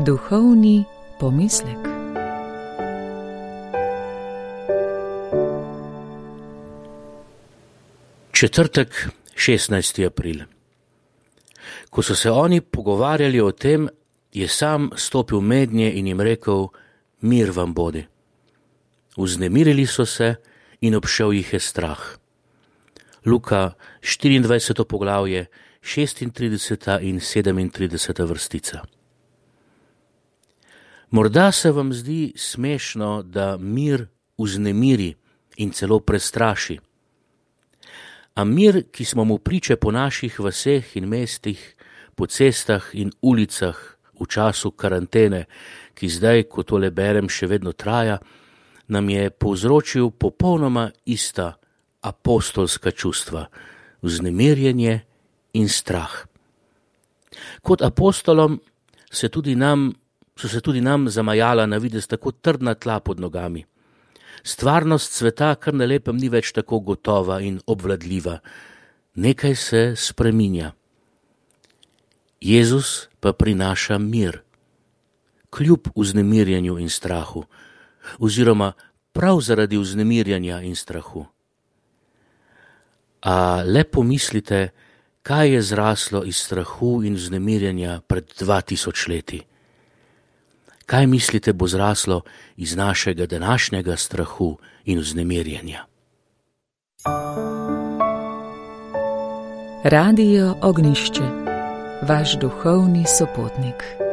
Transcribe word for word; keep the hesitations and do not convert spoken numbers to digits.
Duhovni pomislek. Četrtek, šestnajsti april. Ko so se oni pogovarjali o tem, je sam stopil mednje in jim rekel: mir vam bodi. Vznemirili so se in obšel jih je strah. Luka štiriindvajseto poglavje, šestintrideseta in sedemintrideseta vrstica. Morda se vam zdi smešno, da mir vznemiri in celo prestraši. A mir, ki smo mu priče po naših vaseh in mestih, po cestah in ulicah v času karantene, ki zdaj, ko tole berem, še vedno traja, nam je povzročil popolnoma ista apostolska čustva, vznemirjenje in strah. Kot apostolom se tudi nam, so se tudi nam zamajala na videz tako trdna tla pod nogami. Stvarnost sveta kar na lepem ni več tako gotova in obvladljiva. Nekaj se spreminja. Jezus pa prinaša mir, kljub vznemirjenju in strahu, oziroma prav zaradi vznemirjanja in strahu. A le pomislite, kaj je zraslo iz strahu in vznemirjanja pred dva tisoč leti. Kaj mislite bo zraslo iz našega današnjega strahu in vznemirjenja? Radio Ognjišče, vaš duhovni sopotnik.